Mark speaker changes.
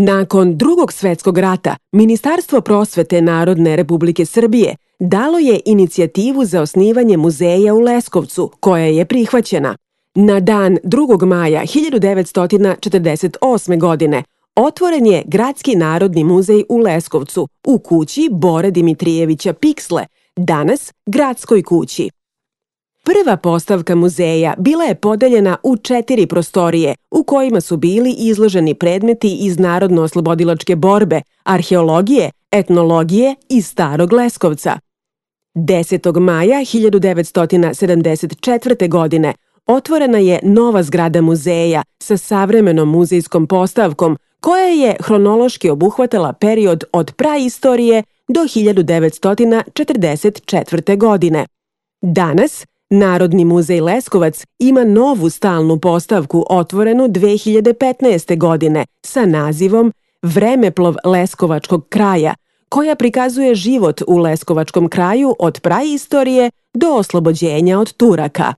Speaker 1: Nakon Drugog svetskog rata, Ministarstvo prosvete Narodne Republike Srbije dalo je inicijativu za osnivanje muzeja u Leskovcu, koja je prihvaćena. Na dan 2. maja 1948. godine otvoren je Gradski narodni muzej u Leskovcu u kući Bore Dimitrijevića Piksle, danas Gradskoj kući. Prva postavka muzeja bila je podeljena u 4 prostorije u kojima su bili izloženi predmeti iz narodno-oslobodilačke borbe, arheologije, etnologije i Starog Leskovca. 10. maja 1974. godine otvorena je nova zgrada muzeja sa savremenom muzejskom postavkom koja je hronološki obuhvatala period od praistorije do 1944. godine. Danas Narodni muzej Leskovac ima novu stalnu postavku otvorenu 2015. godine sa nazivom Vremeplov Leskovačkog kraja, koja prikazuje život u Leskovačkom kraju od praistorije do oslobođenja od Turaka.